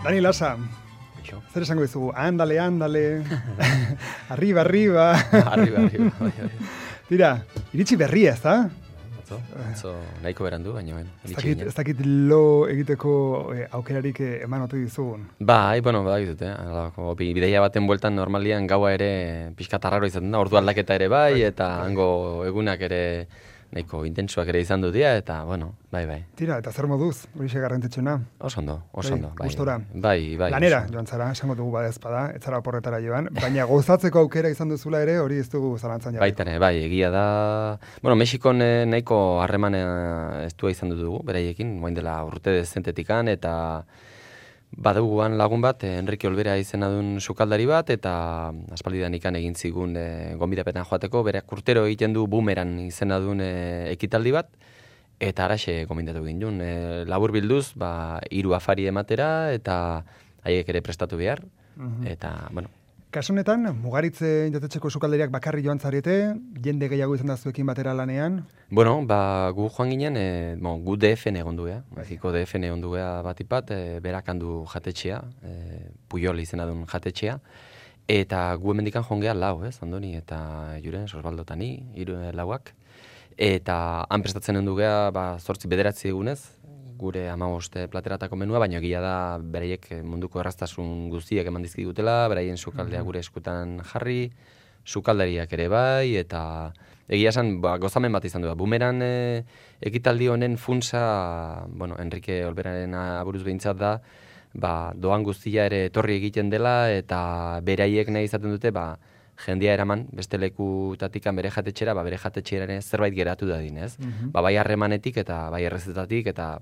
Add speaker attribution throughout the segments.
Speaker 1: Dani Lasa, zer esango dizugu? Andale, arriba.
Speaker 2: Arriba.
Speaker 1: Tira, iritsi berria, ez da?
Speaker 2: Atzo nahiko berandu, baina
Speaker 1: ez dakit lo egiteko aukerarik eman ote dizugun.
Speaker 2: Bai, dut, bideia baten bueltan normalian gaua ere pixka tarraro izaten da, ordu aldaketa ere bai, eta hango egunak ere nahiko intensuak ere izan dut dira, eta, bai.
Speaker 1: Tira, eta zer moduz, hori garrantzitsuena?
Speaker 2: Oso ondo, bai.
Speaker 1: Gustora?
Speaker 2: Bai.
Speaker 1: Lanera, joan zara, esango dugu badezpada, ez zara oporretara joan, baina gozatzeko aukera izan duzula ere, hori ez dugu zalantzan jarri.
Speaker 2: Baitane, bai, egia da... Mexikon nahiko harreman estua izan dugu, beraiekin, moin dela urte dezentetikan, eta baduguan lagun bat, Enrique Olvera izena duen sukaldari bat, eta aspaldidan ikan egin zigun gonbidapetan joateko, berak urtero egiten du Boomerang izena duen ekitaldi bat, eta araxe gomendatu egin duen. Labur bilduz, 3 afari ematera, eta haiek ere prestatu behar, eta,
Speaker 1: Kasu honetan, Mugaritze jatetxeko sukaldariak bakarri joan zarete, jende gehiago izan da zuekin batera lanean?
Speaker 2: Gu joan ginen, gu DFN egon duea, Mexiko DFN egon duea batipat, berak handu jatetxea, Puyol izena duen jatetxea, eta gu hemendikan joan geha lau, Andoni, eta Juren, Sosbaldotani, 3 lauak, eta han prestatzen hendu geha, 8-9 egunez, gure 15 plateratako menua, baina egia da beraiek munduko erraztasun guztiak eman dizkigutela, beraien sukaldea gure eskutan jarri, sukaldariak ere bai, eta egia esan gozamen bat izan du. Boomerang ekitaldi honen funtsa, Enrique Olberaren aburuz behintzat da, doan guztia ere etorri egiten dela, eta beraiek nahi izaten dute, jendia eraman, beste lekutatikan bere jatetxera, bere jatetxera zerbait geratu dadin, ez? Bai harremanetik eta bai errezetatik eta,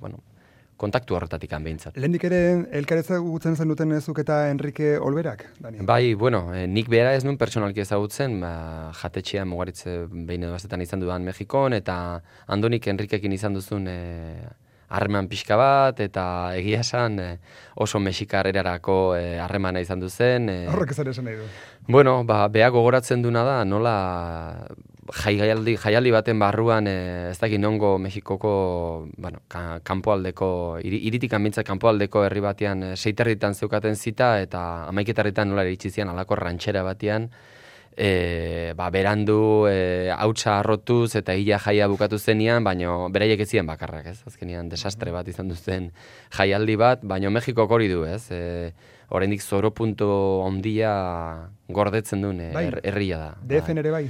Speaker 2: kontaktu horretatik behintzat.
Speaker 1: Lehendik ere elkarreza gutzen zen duten ezuk eta Enrique Olberak, Dani?
Speaker 2: Bai, nik bera ez nuen pertsonalki ezagutzen, jatetxean Mugaritze behin edo bastetan izan dudan Mexikon, eta Andonik Enriquekin izan duzun harreman pixka bat, eta egia esan oso mexikar erarako harremana izan duzen.
Speaker 1: Horrek ez esan nahi du.
Speaker 2: Beha gogoratzen duna da, nola jaialdi baten barruan, ez dakit nongo Mexikoko, kanpoaldeko, iritik anbintzat kanpoaldeko herri batean 6 zeukaten zita, eta 11 nola iritsi zian alako rantxera batean, berandu hautsa arrotuz eta hila jaia bukatu zenean, baina beraiek ez ziren bakarrak, ez? Azkenean desastre bat izan duzen jaialdi bat, baina Mexikok hori du, ez? Oraindik zoropunto ondia gordetzen duen herria da.
Speaker 1: DFN ere bai?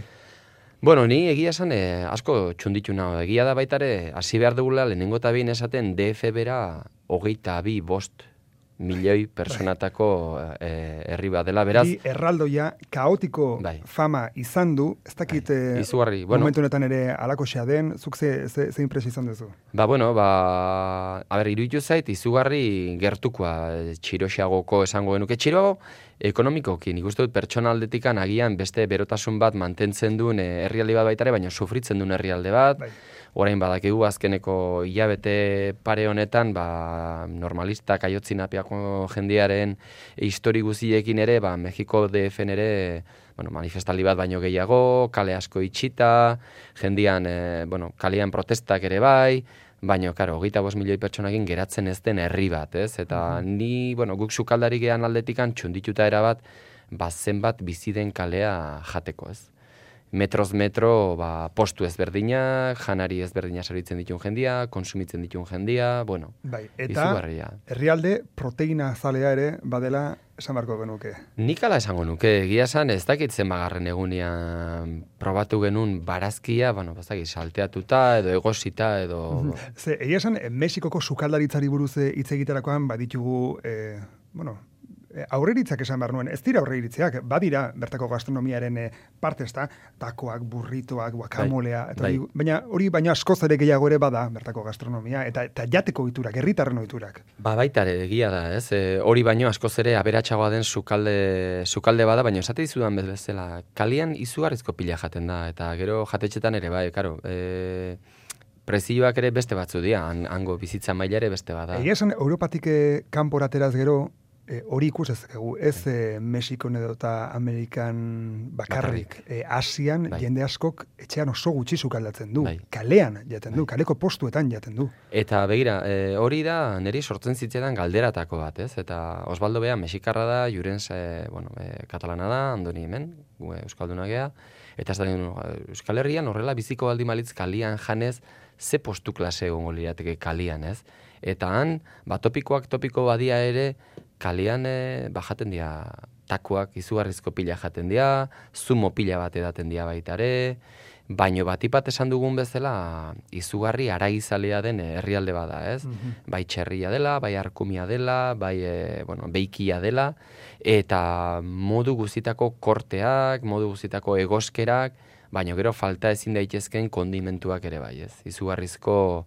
Speaker 2: Ni egia esan asko txunditu nago. Egia da baitare, hasi behar dugula lehenengo eta behin esaten DF bera 22 milioi personatako herri bat dela, beraz...
Speaker 1: Erraldoia kaotiko fama izan du, ez dakit
Speaker 2: izugarri,
Speaker 1: momentu honetan ere alakoxea den, zuk ze impresio izan duzu?
Speaker 2: Iruditu zait, izugarri gertukoa txiroxeagoko esango genuke. Txiroago ekonomikoki, nik uste dut pertsona aldetikan agian beste berotasun bat mantentzen duen herrialde bat baitare, baina sufritzen duen herrialde bat. Orain badakigu azkeneko hilabete pare honetan, normalistak aiotzinapiako jendearen histori guziekin ere, Mexiko DFN ere, manifestaldi bat baino gehiago, kale asko itxita, jendean, kalean protestak ere bai, baina, 25 milioi pertsonakin geratzen ez den herri bat, ez? Eta ni, guk sukaldari gehan aldetikan txundituta erabat, zenbat bizi den kalea jateko, ez? Metroz metro, postu ezberdinak, janari ezberdina saritzen ditun jendia, konsumitzen ditun jendia, izugarria.
Speaker 1: Eta herrialde proteina zalea ere badela esan barko genuke. Nik
Speaker 2: ala esango nuke, egia esan ez dakit zenbagarren egunean probatu genuen barazkia, salteatuta edo egosita edo...
Speaker 1: Egia esan, Mexikoko sukaldaritzari buruz hitz egiterakoan baditugu, aurreritzak esan behar nuen, ez dira aurreritziak, badira bertako gastronomiaren parte, ezta, takoak, burritoak, guakamolea, baina hori baina askoz ere gehiago ere bada bertako gastronomia, eta jateko ohiturak, herritarren ohiturak.
Speaker 2: Baita ere, egia da, ez? Hori baino askoz ere aberatsagoa den sukalde bada, baina esate dizudan bezala, kalian izugarrizko pila jaten da, eta gero jatetxetan ere, prezioak ere beste batzu dira, hango bizitza maila ere beste bada.
Speaker 1: Egia esan, Europatik kanpora ateraz gero, hori ikus ezakegu, ez Mexikon edo eta Amerikan bakarrik. Asian jende askok etxean oso gutxi sukaldatzen du. Kalean jaten du, kaleko postuetan jaten du.
Speaker 2: Eta begira, hori da niri sortzen zitzetan galderatako bat, ez? Eta Osvaldo Bea Mexikarra da, Jurens katalana da, Andoni hemen, Euskalduna gea, eta ez da Euskal Herrian horrela biziko baldin balitz kalian janez, ze postu klase egongo lirateke kalian, ez? Eta han, topiko badia ere, kalean jaten dira takoak, izugarrizko pila jaten dira, zumo pila bat edaten dira baita ere, baino batipat esan dugun bezala, izugarri araizalea den herrialde bada, ez? Bai txerria dela, bai arkumia dela, bai beikia dela, eta modu guztitako korteak, modu guztitako egoskerak, baino gero falta ezin daitezken kondimentuak ere bai, ez? Izugarrizko,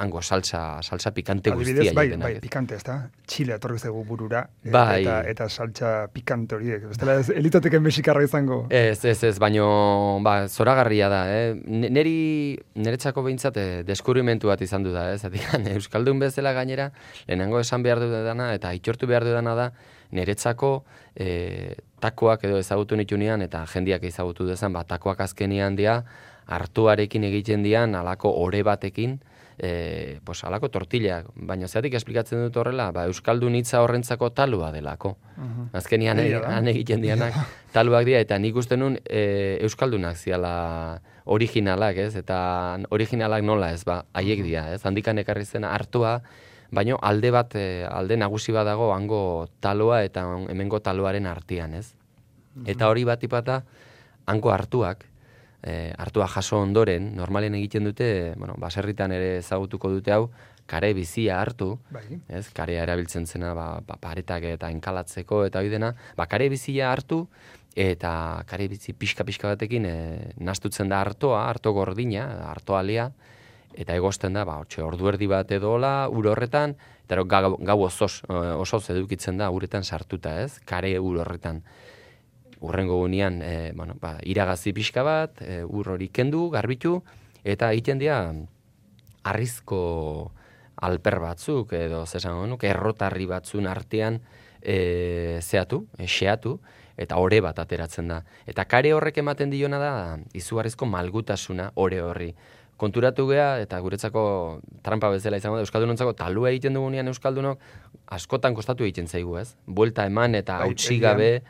Speaker 2: hango salsa pikante guztia.
Speaker 1: Bai, pikante, ez da? Txile etorri zegu burura, eta salsa pikante horiek. Bestela ez elitateken mexikarra izango.
Speaker 2: Ez, baino, zoragarria da, Neretzako behintzat deskubrimentu bat izan du da, Euskaldun bezala gainera, lehenengo esan behar dudana, eta aitortu behar dudana da, Neretzako takoak edo ezagutu nitunean, eta jendiak ezagutu dezan, takoak azkenian dira, hartuarekin egiten dian, alako ore batekin, alako tortillak, baina zeatik esplikatzen dut horrela, Euskaldun hitza horrentzako talua delako. Azkenian han egiten dianak taluak dira, eta nik uste nun Euskaldunak ziala originalak, ez? Eta originalak nola ez, haiek dira, ez? Handikan ekarri zen hartua, baina alde nagusi bat dago hango taloa eta hemengo taloaren artean, ez? Eta hori batipata hango hartuak, hartua jaso ondoren, normalen egiten dute, baserritan ere ezagutuko dute hau, kare bizia hartu, ez, karea erabiltzen zena, paretak eta enkalatzeko eta hori dena, kare bizia hartu, eta kare bizi pixka batekin nastutzen da harto gordina, hartoalia, eta egosten da, ordu erdi bat edola, ur horretan, eta gau osoz edukitzen da uretan sartuta, ez, kare ur horretan. Urrengo gunean, iragazi pixka bat, ur hori kendu, garbitu, eta egiten dira harrizko alper batzuk, edo errotarri batzun artean xeatu, eta ore bat ateratzen da. Eta kare horrek ematen diona da, izugarrizko malgutasuna ore horri. Konturatu gea, eta guretzako trampa bezala izango da, Euskaldunontzako talua egiten dugunean Euskaldunok, askotan kostatu egiten zaigu, ez? Buelta eman eta hautsi gabe.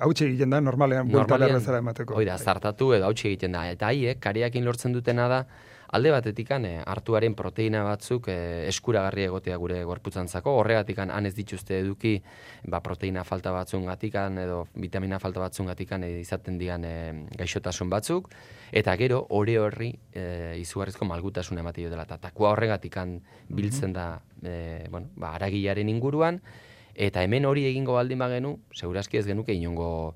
Speaker 1: Hautsi egiten da, normalean buelta berrezara emateko.
Speaker 2: Oida, zartatu edo hautsi egiten da. Eta haiek, kareakin lortzen dutena da, alde batetikan hartuaren proteina batzuk eskuragarri egotea gure gorputzantzako, horregatikan han ez dituzte eduki proteina falta batzungatikan edo vitamina falta batzungatikan izaten dian gaixotasun batzuk, eta gero ore horri izugarrizko malgutasun ematen dela. Eta takua horregatikan biltzen da haragilaren inguruan, eta hemen hori egingo baldin bagenu, segurazki ez genuke inongo,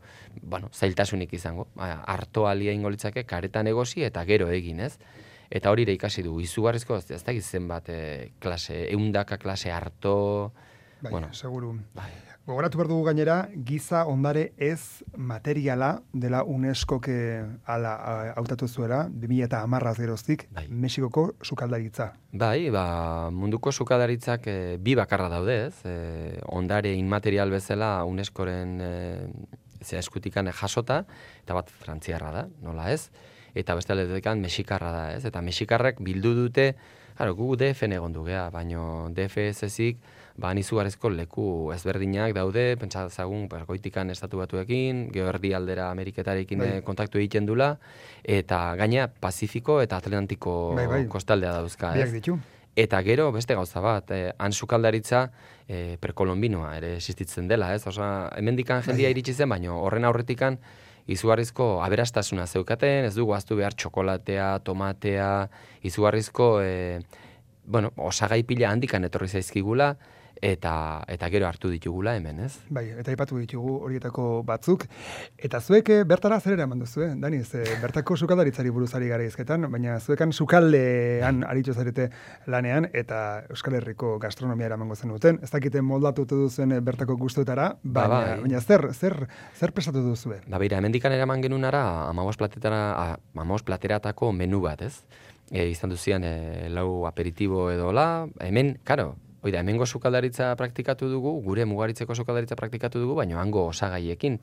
Speaker 2: zailtasunik izango. Hartoalia ingo litzake karetan egosi eta gero egin, ez? Eta hori ere ikasi du, izugarrizko, ez da gizzen bat klase, eundaka klase harto...
Speaker 1: Seguru. Gogoratu behar dugu gainera, giza ondare ez materiala dela UNESCO-ke hautatu zuela, 2010 geroztik, Mexikoko sukaldaritza.
Speaker 2: Munduko sukaldaritzak bi bakarra daude, ez? Ondare inmaterial bezala UNESCO-ren eskutikan jasota, eta bat frantziarra da, nola ez? Eta beste aldetekan mexikarra da, ez? Eta mexikarrak bildu dute, gu DF-en egon dugea, baino DF-ezik, izugarrizko leku ezberdinak daude, pentsazagun, goitikan estatu batuekin, geoerdi aldera Ameriketarekin kontaktu egiten dula, eta gaina Pazifiko eta Atlantiko kostaldea dauzka, ez? Eta gero, beste gauza bat, han sukaldaritza perkolombinoa ere existitzen dela, ez? Hemendikan jendia iritsi zen, baino horren aurretikan izugarrizko aberastasuna zeukaten, ez dugu ahaztu behar txokolatea, tomatea, izugarrizko osagai pila handikan etorri zaizkigula, eta gero hartu ditugula hemen, ez?
Speaker 1: Eta aipatu ditugu horietako batzuk. Eta zuek bertara zer eraman duzu, Dani? Bertako sukaldaritzari buruzari gara izketan, baina zuekan sukaldean aritu zarete lanean, eta Euskal Herriko gastronomia eramango zen duten. Ez dakite moldatutu duzen bertako gustuetara, baina zer prestatu duzu?
Speaker 2: Hemendikan eraman genunara 15 plateratako menu bat, ez? Izan duzian lau aperitibo edola, hemen, karo, Oida, hemengo sukaldaritza praktikatu dugu, gure mugaritzeko sukaldaritza praktikatu dugu, baina hango osagaiekin.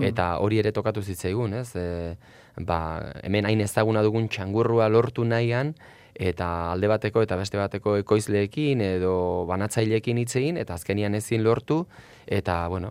Speaker 2: Eta hori ere tokatu zitzaigun, ez? Hemen hain ezaguna dugun txangurrua lortu nahian, eta alde bateko eta beste bateko ekoizleekin edo banatzaileekin hitz egin, eta azkenian ezin lortu, eta, bueno,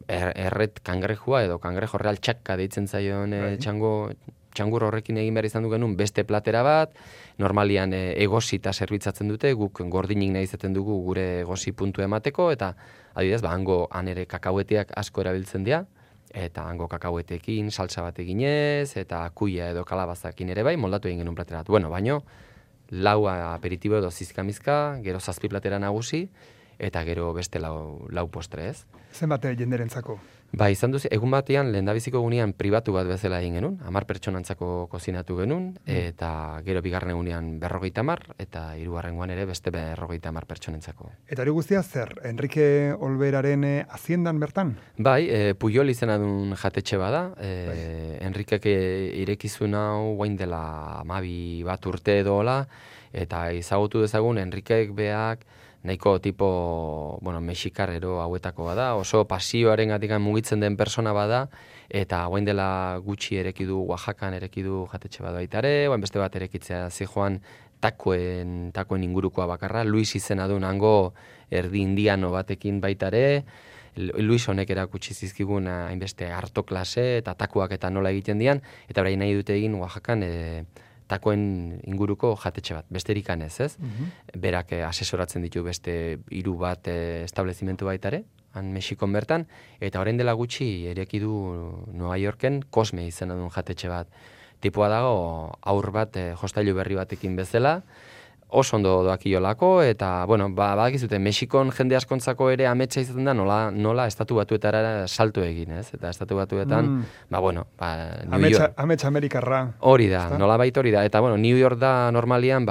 Speaker 2: erret kangrejua edo kangrejo real txakka deitzen zaion txangur horrekin egin behar izan du genuen beste platera bat, normalian egosita zerbitzatzen dute, guk gordinik nahi izaten dugu gure egosi puntu emateko, eta adibidez, han ere kakaueteak asko erabiltzen dira, eta hango kakauetekin salsa bat eginez, eta kuia edo kalabazakin ere bai, moldatu egin genuen platera bat. Bueno, baino, lau aperitibo edo zizkamizka, gero 7 platera nagusi, eta gero beste lau postre, ez?
Speaker 1: Zenbat jenderentzako?
Speaker 2: Izan duz, egun batean, lehendabiziko egunean pribatu bat bezala egin genuen, 10 pertsonantzako kozinatu genuen, eta gero bigarren egunean 50, eta hirugarrengoan ere beste 50 pertsonentzako.
Speaker 1: Eta hori guztia zer, Enrique Olberaren haziendan bertan?
Speaker 2: Pujol izena duen jatetxe bada, Enriquek irekizun hau guain dela 12 bat urte edola, eta izagutu dezagun Enriquek beak, nahiko tipo, mexikar ero hauetako bada, oso pasioaren gatikan mugitzen den persona bada, eta guain dela gutxi erekidu, Oaxacan erekidu jatetxe bada baitare, guain beste bat erekitzea zijoan takoen ingurukoa bakarra, Luis izena duen hango erdi indiano batekin baitare, Luis honek erakutsi zizkigun hainbeste harto klase eta takoak eta nola egiten dian, eta berain nahi dute egin Oaxacan takoen inguruko jatetxe bat, besterik ez? Berak asesoratzen ditu beste 3 bat establezimentu baitare, han Mexikon bertan, eta orain dela gutxi ereki du Nueva Yorken Cosme izena duen jatetxe bat. Tipua dago aur bat jostailu berri batekin bezala, oso ondo doakiolako, eta, badakizute, Mexikon jende askontzako ere ametsa izaten da nola estatu batuetara salto egin, ez? Eta estatu batuetan, New York.
Speaker 1: Ametsa Amerikarra.
Speaker 2: Hori da, nolabait hori da. Eta, New York da normalian,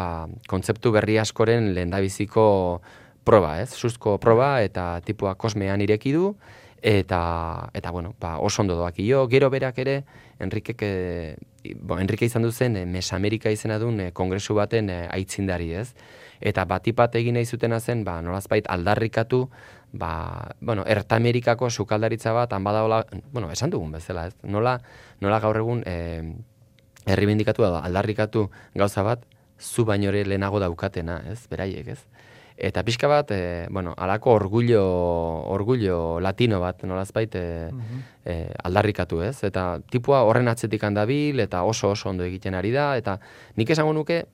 Speaker 2: kontzeptu berri askoren lehendabiziko proba, ez? Suzko proba, eta tipua kosmean ireki du, eta oso ondo doakio. Gero berak ere, Enrique izan duzen Mesamerika izena duen kongresu baten aitzindari, ez? Eta batipat egin nahi zutena zen, nolazbait aldarrikatu, Ertamerikako sukaldaritza bat, badaola, esan dugun bezala, ez? Nola gaur egun erribindikatu da, aldarrikatu gauza bat, zu baino ere lehenago daukatena, ez? Beraiek, ez? Eta pixka bat, alako orgullo latino bat, nolazbait, aldarrikatu, ez? Eta tipua horren atzetik handabil, eta oso ondo egiten ari da, eta nik esango nuke,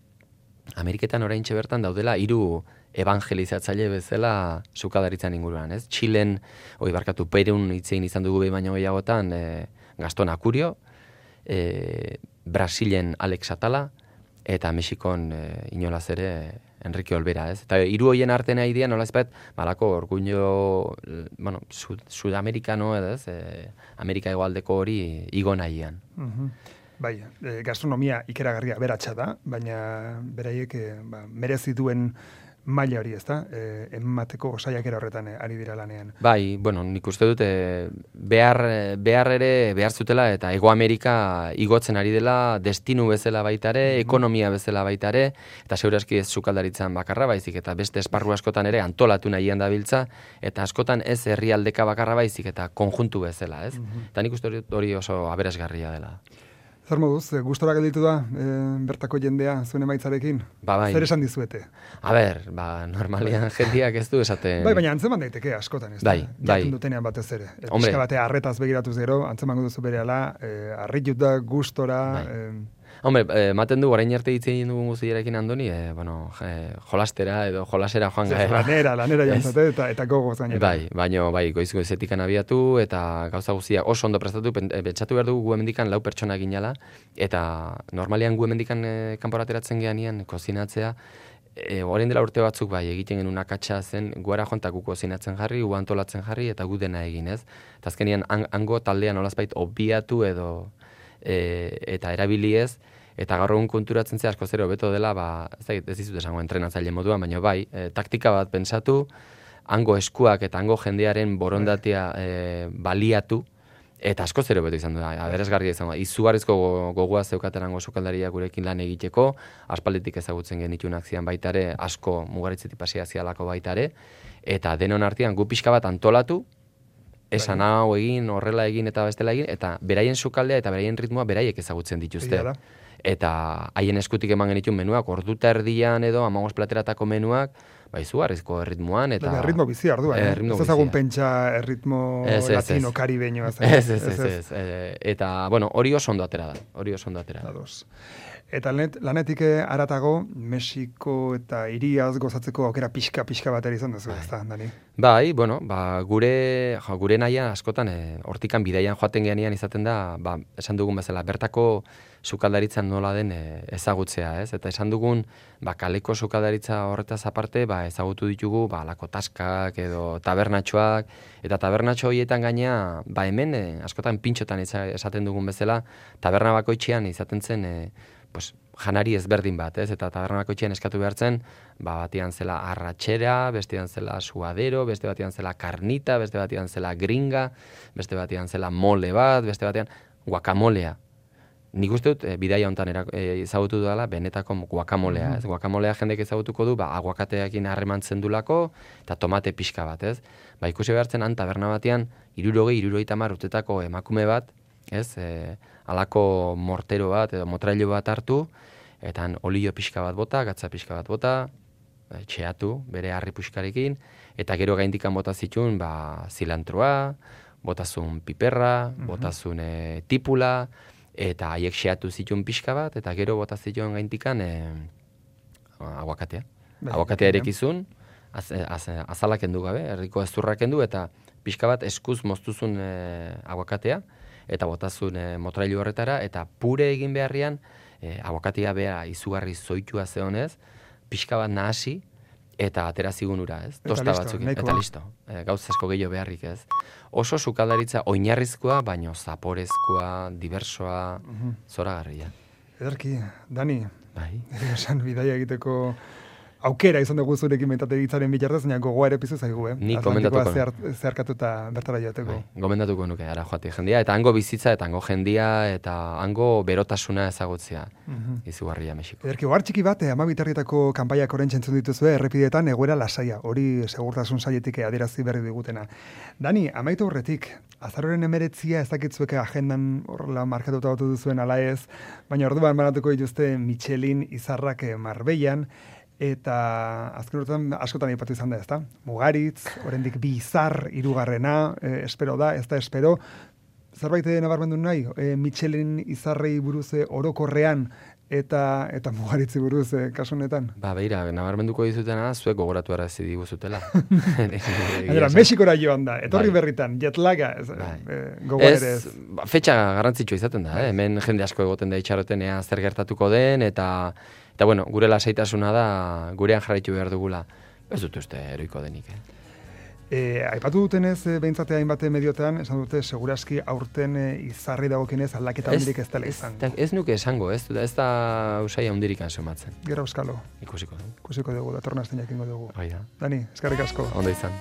Speaker 2: Ameriketan oraintxe bertan daudela 3 evangelizatzaile bezala sukaldaritzan inguruan, ez? Txilen, Perun hitzein izan dugu behin baino gehiagotan, Gaston Akurio, Brasilen Alex Atala, eta Mexikon inolaz ere Enrique Olbera, ez? Eta 3 hoien artean nahi dira, nolazpet, malako orgullo, sudamerikano, ez? Amerika hegoaldeko hori igo nahian.
Speaker 1: Bai, gastronomia ikeragarria beratxa da, baina beraiek merezi duen maila hori, ezta? Emateko saiakera horretan ari dira lanean.
Speaker 2: Bai, nik uste dut behar zutela, eta Hego Amerika igotzen ari dela, destinu bezala baitare, ekonomia bezala baitare, eta segurazki ez sukaldaritzan bakarra baizik, eta beste esparru askotan ere antolatu nahian dabiltza, eta askotan ez herrialdeka bakarra baizik, eta konjuntu bezala, ez? Eta nik uste dut hori oso aberasgarria dela.
Speaker 1: Zer moduz, gustora gelditu da bertako jendea zuen emaitzarekin?
Speaker 2: Bai.
Speaker 1: Zer esan dizuete?
Speaker 2: Normalian jendeak ez du esaten.
Speaker 1: Baina antzeman daiteke askotan, ez da? Jaten dutenean batez ere. Pixka batea arretaz begiratuz gero, antzemango duzu berehala, arritut da, gustora...
Speaker 2: Maten du, orain arte ditzen dugun guztiarekin Andoni, jolastera edo jolasera joan gara.
Speaker 1: Lanera jantzate eta gogoz gainera.
Speaker 2: Bai, goizetikan abiatu eta gauza guztia oso ondo prestatu, pentsatu behar dugu gu hemendikan 4 pertsona ginala, eta normalian gu hemendikan kanporateratzen geanian kozinatzea, orain dela urte batzuk egiten genuen akatsa zen, guara joan eta gu kozinatzen jarri, gu antolatzen jarri, eta gu dena egin, ez? Eta azkenian hango taldean olazbait obiatu edo eta erabiliez, eta gaur egun konturatzen zea asko zero beto dela, ez dizut esango entrenatzaile moduan, baina taktika bat pentsatu, hango eskuak eta hango jendearen borondatea baliatu, Eta asko zer hobeto izan da, aberesgarria izan da. Izugarrizko gogoa zeukaterango sukaldaria gurekin lan egiteko, aspalditik ezagutzen genitunak zian baitare, asko mugaritzetik pasia zialako baitare, eta denon artean gu pixka bat antolatu, esan hau egin, horrela egin eta bestela egin, eta beraien sukaldea eta beraien ritmoa beraiek ezagutzen dituzte. Eta haien eskutik eman genituen menuak, orduta erdian edo, 15 plateratako menuak, izugarrizko erritmoan. Eta
Speaker 1: ritmo bizi arduan, ez ezagun pentsa erritmo latino, karibeño.
Speaker 2: Ez. Eta, bueno, hori oso ondo atera da.
Speaker 1: Eta lanetik aratago, Mexiko eta hiriaz gozatzeko aukera pixka batera izan duzu, ez da, Dani?
Speaker 2: Bai, bueno, gure naia askotan, hortikan bidaian joaten geanian izaten da, esan dugun bezala, bertako sukaldaritzan nola den ezagutzea, ez? Eta esan dugun, kaleko sukaldaritza horretaz aparte, ezagutu ditugu, alako taskak edo tabernatxoak, eta tabernatxo horietan gaina, hemen, askotan pintxotan esaten dugun bezala, taberna bakoitzean izaten zen, janari ezberdin bat, ez? Eta taberna bakoitzean eskatu behartzen, batian zela arratxera, bestean zela suadero, beste batian zela karnita, beste batian zela gringa, beste batian zela mole bat, beste batean guakamolea. Nik uste dut, bidaia honetan ezagutu dela, benetako guakamolea, ez? Guakamolea jendek ezagutuko du, aguakateakin harremantzen dulako, eta tomate pixka bat, ez? Ikusi behartzen, han taberna batean, 60-70 urtetako emakume bat, ez? Alako mortero bat edo motrailu bat hartu, eta olio pixka bat bota, gatza pixka bat bota, txeatu bere harri puxkarekin, eta gero gaindikan bota zituen zilantroa, botazun piperra, botazun tipula, eta haiek xeatu zituen pixka bat, eta gero bota zituen gaindikan aguakatea. Aguakatea erekizun, azalak endu gabe, herriko ezurrak endu, eta pixka bat eskuz moztuzun aguakatea, eta botazun motrailu horretara, eta pure egin beharrian, aguakatea beha izugarri zoitua zeonez, pixka bat nahasi, eta atera zigun ura, ez? Tosta batzuk, eta listo. Gauz asko gehiago beharrik, ez? Oso sukaldaritza oinarrizkoa, baino zaporezkoa, diversoa, zoragarria.
Speaker 1: Ederki, Dani, esan bidaia egiteko aukera izan dugu zurekin mentate hitzaren bitartez, baina gogoa ere pizu zaigu,
Speaker 2: Ni gomendatuko.
Speaker 1: Zeharkatuta bertara joateko.
Speaker 2: Gomendatuko nuke, ara joate jendia, eta hango bizitza, eta hango jendia, eta hango berotasuna ezagutzea. Izugarria Mexiko.
Speaker 1: Ederki, ohar txiki bat, 12 herrietako kanpaiak orain entzun dituzue, errepideetan egoera lasaia, hori segurtasun saietik adierazi berri digutena. Dani, amaitu horretik, azaroren 19 ez dakitzueke agendan horrela markatuta batu duzuen ala ez, baina orduan banatuko dituzte Michelin izarrak Marbellan, eta azken urtean askotan aipatu izan da, ezta? Mugaritz, oraindik 2 izar, 3. Espero da, ez da espero. Zerbait nabarmendu nahi, Michelin izarrei buruz orokorrean eta Mugaritzi buruz kasu honetan.
Speaker 2: Beira, nabarmenduko dizutena, zuek gogoratu arazi diguzutela.
Speaker 1: Mexikora joan da, etorri berritan, jetlaga, gogorez.
Speaker 2: Fetxa garrantzitsua izaten da, hemen jende asko egoten da itxarotenea zer gertatuko den, eta bueno, gure lasaitasuna da, gurean jarraitu behar dugula. Ez dut uste eroiko denik,
Speaker 1: Aipatu dutenez, behintzate hainbat mediotan, esan dute, seguraski aurten izarri dagokienez aldaketa handirik ez dela izango.
Speaker 2: Ez nuke esango, ez da usaia hundirik ansomatzen.
Speaker 1: Gero euskalo.
Speaker 2: Ikusiko dugu.
Speaker 1: Ikusiko dugu, datorna azten jakingo dugu.
Speaker 2: Bai da.
Speaker 1: Dani, eskerrik asko.
Speaker 2: Ondo izan.